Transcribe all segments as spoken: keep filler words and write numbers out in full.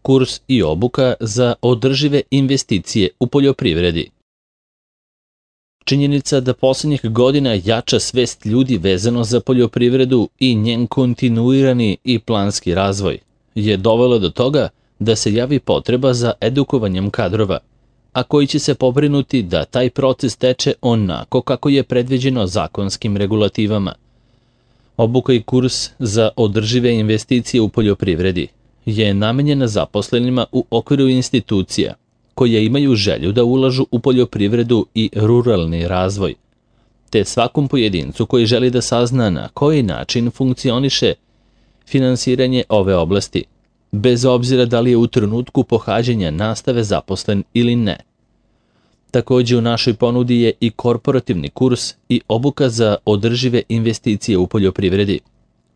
kurs i obuka za održive investicije u poljoprivredi. Činjenica da posljednjih godina jača svest ljudi vezano za poljoprivredu i njen kontinuirani i planski razvoj je dovelo do toga da se javi potreba za edukovanjem kadrova, a koji će se pobrinuti da taj proces teče onako kako je predviđeno zakonskim regulativama. Obuka i kurs za održive investicije u poljoprivredi je namenjena zaposlenima u okviru institucija koje imaju želju da ulažu u poljoprivredu i ruralni razvoj, te svakom pojedincu koji želi da sazna na koji način funkcioniše finansiranje ove oblasti, bez obzira da li je u trenutku pohađanja nastave zaposlen ili ne. Također u našoj ponudi je i korporativni kurs i obuka za održive investicije u poljoprivredi,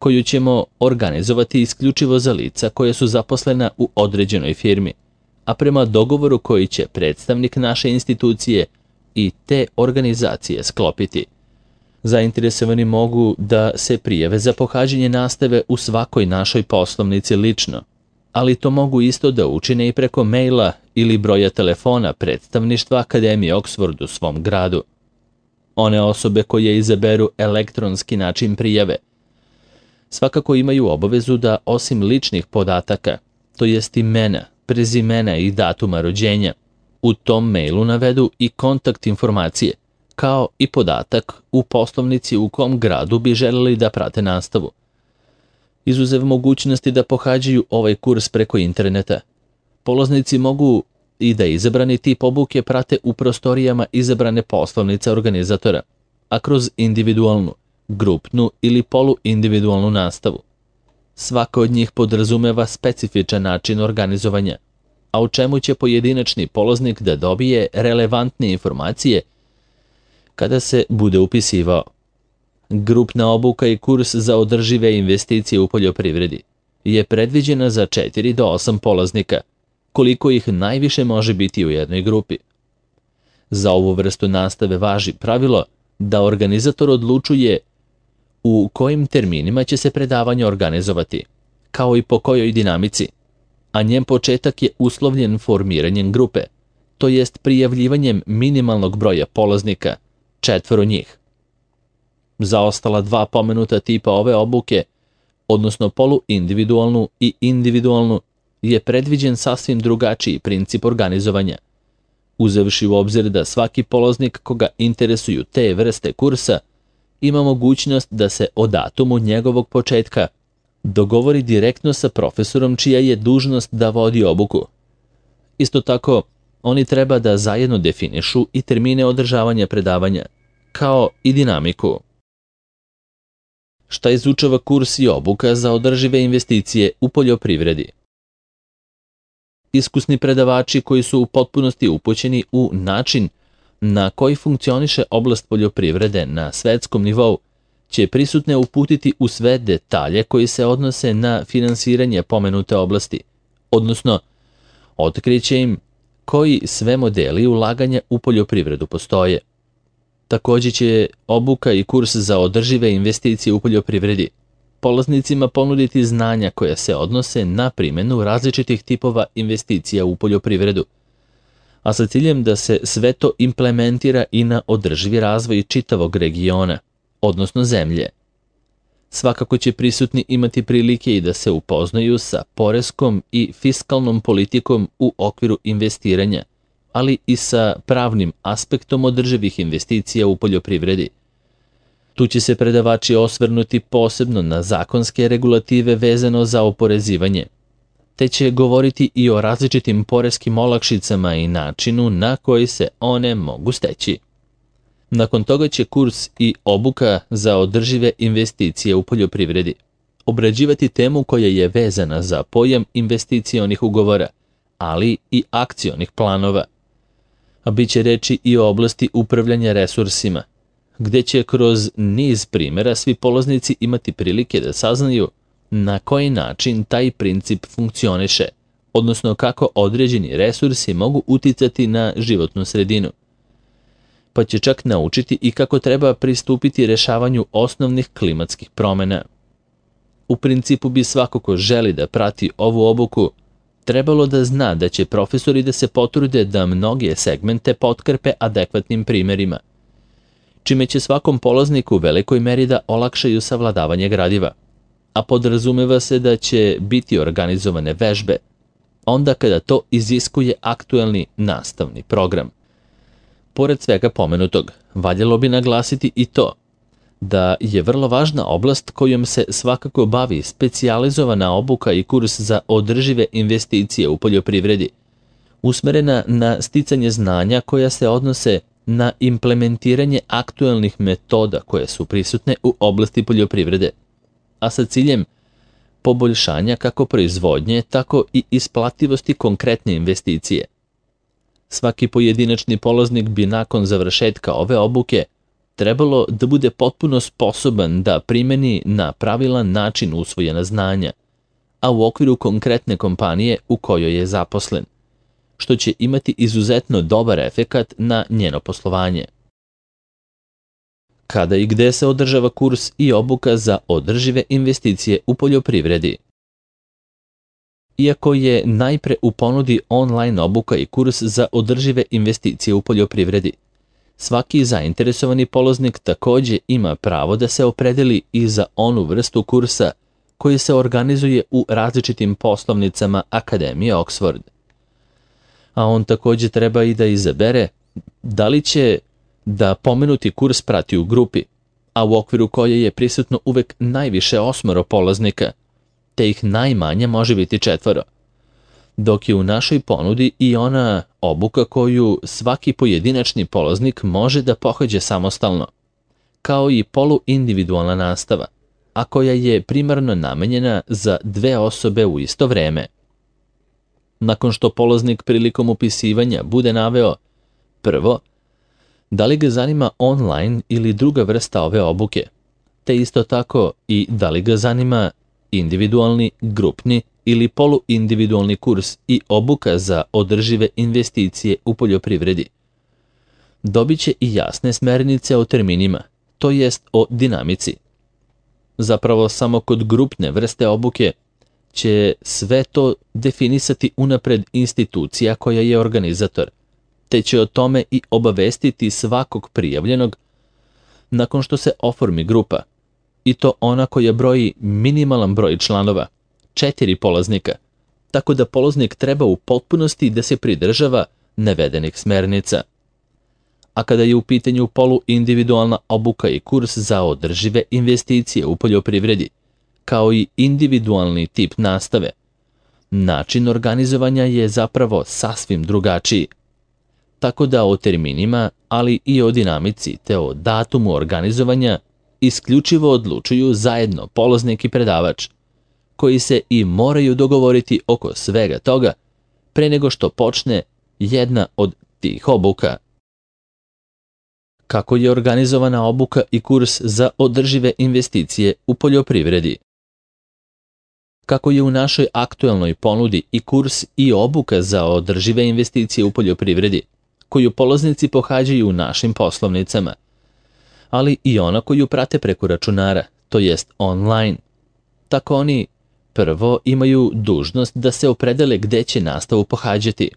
koju ćemo organizovati isključivo za lica koje su zaposlena u određenoj firmi, a prema dogovoru koji će predstavnik naše institucije i te organizacije sklopiti. Zainteresovani mogu da se prijave za pohađanje nastave u svakoj našoj poslovnici lično, ali to mogu isto da učine i preko maila ili broja telefona predstavništva Akademije Oxford u svom gradu. One osobe koje izaberu elektronski način prijave svakako imaju obavezu da osim ličnih podataka, to jest imena, prezimena i datuma rođenja, u tom mailu navedu i kontakt informacije, kao i podatak u poslovnici u kom gradu bi želeli da prate nastavu. Izuzev mogućnosti da pohađaju ovaj kurs preko interneta, polaznici mogu i da izabrani tip obuke prate u prostorijama izabrane poslovnice organizatora, a kroz individualnu, grupnu ili poluindividualnu nastavu. Svaka od njih podrazumeva specifičan način organizovanja, a u čemu će pojedinačni polaznik da dobije relevantne informacije kada se bude upisivao. Grupna obuka i kurs za održive investicije u poljoprivredi je predviđena za četiri do osam polaznika, koliko ih najviše može biti u jednoj grupi. Za ovu vrstu nastave važi pravilo da organizator odlučuje u kojim terminima će se predavanje organizovati, kao i po kojoj dinamici, a njen početak je uslovljen formiranjem grupe, to jest prijavljivanjem minimalnog broja polaznika, četvoro njih. Za ostala dva pomenuta tipa ove obuke, odnosno poluindividualnu i individualnu, je predviđen sasvim drugačiji princip organizovanja, uzevši u obzir da svaki polaznik koga interesuju te vrste kursa ima mogućnost da se o datumu njegovog početka dogovori direktno sa profesorom čija je dužnost da vodi obuku. Isto tako, oni treba da zajedno definišu i termine održavanja predavanja, kao i dinamiku. Šta izučava kurs i obuka za održive investicije u poljoprivredi? Iskusni predavači koji su u potpunosti upućeni u način na koji funkcioniše oblast poljoprivrede na svetskom nivou će prisutne uputiti u sve detalje koji se odnose na finansiranje pomenute oblasti, odnosno otkriće im koji sve modeli ulaganja u poljoprivredu postoje. Također će obuka i kurs za održive investicije u poljoprivredi polaznicima ponuditi znanja koja se odnose na primjenu različitih tipova investicija u poljoprivredu, a sa ciljem da se sve to implementira i na održivi razvoj čitavog regiona, odnosno zemlje. Svakako će prisutni imati prilike i da se upoznaju sa poreskom i fiskalnom politikom u okviru investiranja, ali i sa pravnim aspektom održivih investicija u poljoprivredi. Tu će se predavači osvrnuti posebno na zakonske regulative vezano za oporezivanje, te će govoriti i o različitim poreskim olakšicama i načinu na koji se one mogu steći. Nakon toga će kurs i obuka za održive investicije u poljoprivredi obrađivati temu koja je vezana za pojam investicionih ugovora, ali i akcionih planova. A bit će reči i o oblasti upravljanja resursima, gde će kroz niz primjera svi polaznici imati prilike da saznaju na koji način taj princip funkcioniše, odnosno kako određeni resursi mogu uticati na životnu sredinu. Pa će čak naučiti i kako treba pristupiti rešavanju osnovnih klimatskih promjena. U principu bi svako ko želi da prati ovu obuku trebalo da zna da će profesori da se potrude da mnoge segmente potkrpe adekvatnim primerima, čime će svakom polazniku u velikoj meri da olakšaju savladavanje gradiva, a podrazumeva se da će biti organizovane vežbe, onda kada to iziskuje aktuelni nastavni program. Pored svega pomenutog, valjalo bi naglasiti i to da je vrlo važna oblast kojom se svakako bavi specijalizovana obuka i kurs za održive investicije u poljoprivredi, usmerena na sticanje znanja koja se odnose na implementiranje aktuelnih metoda koje su prisutne u oblasti poljoprivrede, a sa ciljem poboljšanja kako proizvodnje, tako i isplativosti konkretne investicije. Svaki pojedinačni polaznik bi nakon završetka ove obuke trebalo da bude potpuno sposoban da primeni na pravilan način usvojena znanja, a u okviru konkretne kompanije u kojoj je zaposlen, što će imati izuzetno dobar efekat na njeno poslovanje. Kada i gde se održava kurs i obuka za održive investicije u poljoprivredi? Iako je najpre u ponudi online obuka i kurs za održive investicije u poljoprivredi, svaki zainteresovani polaznik takođe ima pravo da se opredeli i za onu vrstu kursa koji se organizuje u različitim poslovnicama Akademije Oxford. A on takođe treba i da izabere da li će da pomenuti kurs prati u grupi, a u okviru koje je prisutno uvek najviše osmoro polaznika, te ih najmanje može biti četvoro, dok je u našoj ponudi i ona obuka koju svaki pojedinačni polaznik može da pohađa samostalno, kao i poluindividualna nastava, a koja je primarno namenjena za dve osobe u isto vreme. Nakon što polaznik prilikom upisivanja bude naveo prvo, da li ga zanima online ili druga vrsta ove obuke, te isto tako i da li ga zanima individualni, grupni ili poluindividualni kurs i obuka za održive investicije u poljoprivredi. Dobit će i jasne smernice o terminima, to jest o dinamici. Zapravo samo kod grupne vrste obuke će sve to definisati unapred institucija koja je organizator, te će o tome i obavestiti svakog prijavljenog nakon što se oformi grupa, i to ona koja broji minimalan broj članova, četiri polaznika, tako da polaznik treba u potpunosti da se pridržava navedenih smernica. A kada je u pitanju poluindividualna obuka i kurs za održive investicije u poljoprivredi, kao i individualni tip nastave, način organizovanja je zapravo sasvim drugačiji. Tako da o terminima, ali i o dinamici te o datumu organizovanja isključivo odlučuju zajedno polaznik i predavač, koji se i moraju dogovoriti oko svega toga pre nego što počne jedna od tih obuka. Kako je organizovana obuka i kurs za održive investicije u poljoprivredi? Kako je u našoj aktuelnoj ponudi i kurs i obuka za održive investicije u poljoprivredi, koju polaznici pohađaju u našim poslovnicama, ali i ona koju prate preko računara, to jest online. Tako oni prvo imaju dužnost da se opredele gde će nastavu pohađati.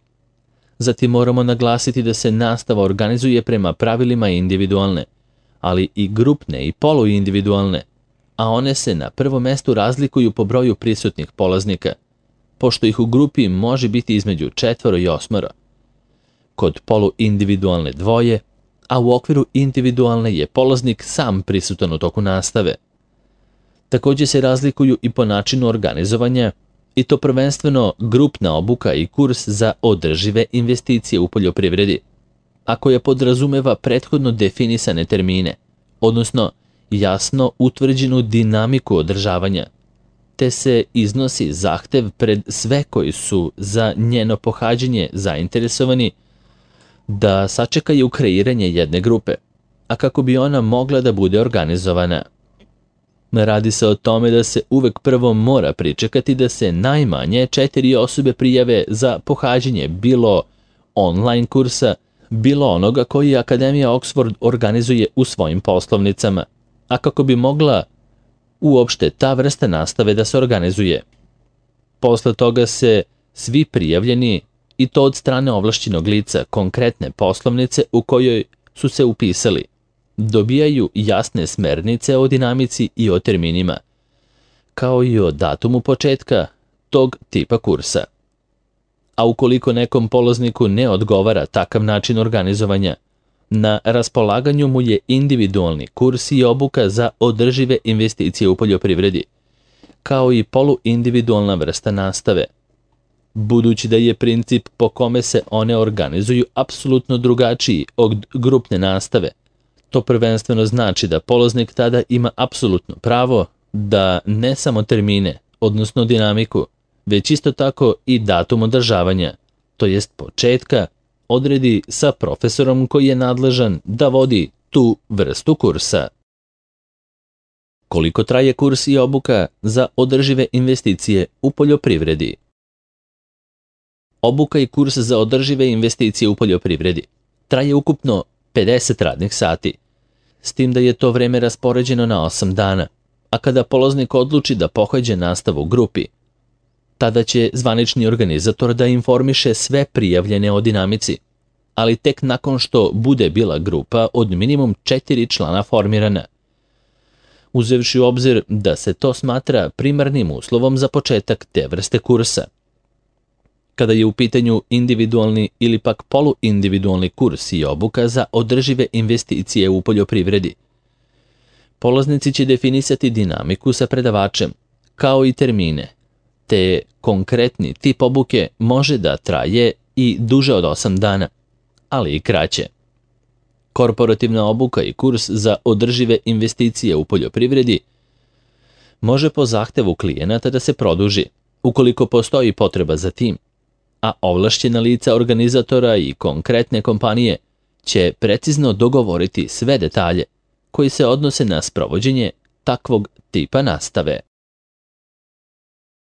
Zatim moramo naglasiti da se nastava organizuje prema pravilima individualne, ali i grupne i poluindividualne, a one se na prvom mestu razlikuju po broju prisutnih polaznika, pošto ih u grupi može biti između četvoro i osmoro. Kod poluindividualne dvoje, a u okviru individualne je polaznik sam prisutan u toku nastave. Takođe se razlikuju i po načinu organizovanja, i to prvenstveno grupna obuka i kurs za održive investicije u poljoprivredi, a koja podrazumeva prethodno definisane termine, odnosno jasno utvrđenu dinamiku održavanja, te se iznosi zahtev pred sve koji su za njeno pohađanje zainteresovani da sačekaju kreiranje jedne grupe, a kako bi ona mogla da bude organizovana. Radi se o tome da se uvek prvo mora pričekati da se najmanje četiri osobe prijave za pohađanje bilo online kursa, bilo onoga koji Akademija Oxford organizuje u svojim poslovnicama, a kako bi mogla uopšte ta vrsta nastave da se organizuje. Posle toga se svi prijavljeni, i to od strane ovlašćenog lica konkretne poslovnice u kojoj su se upisali, dobijaju jasne smernice o dinamici i o terminima, kao i o datumu početka tog tipa kursa. A ukoliko nekom polazniku ne odgovara takav način organizovanja, na raspolaganju mu je individualni kurs i obuka za održive investicije u poljoprivredi, kao i poluindividualna vrsta nastave. Budući da je princip po kome se one organizuju apsolutno drugačiji od grupne nastave, to prvenstveno znači da polaznik tada ima apsolutno pravo da ne samo termine, odnosno dinamiku, već isto tako i datum održavanja, to jest početka, odredi sa profesorom koji je nadležan da vodi tu vrstu kursa. Koliko traje kurs i obuka za održive investicije u poljoprivredi? Obuka i kurs za održive investicije u poljoprivredi traje ukupno pedeset radnih sati, s tim da je to vreme raspoređeno na osam dana, a kada polaznik odluči da pohađa nastavu u grupi, tada će zvanični organizator da informiše sve prijavljene o dinamici, ali tek nakon što bude bila grupa od minimum četiri člana formirana, uzevši u obzir da se to smatra primarnim uslovom za početak te vrste kursa. Kada je u pitanju individualni ili pak poluindividualni kurs i obuka za održive investicije u poljoprivredi, polaznici će definisati dinamiku sa predavačem, kao i termine, te konkretni tip obuke može da traje i duže od osam dana, ali i kraće. Korporativna obuka i kurs za održive investicije u poljoprivredi može po zahtevu klijenata da se produži, ukoliko postoji potreba za tim, a ovlašćena lica organizatora i konkretne kompanije će precizno dogovoriti sve detalje koji se odnose na sprovođenje takvog tipa nastave.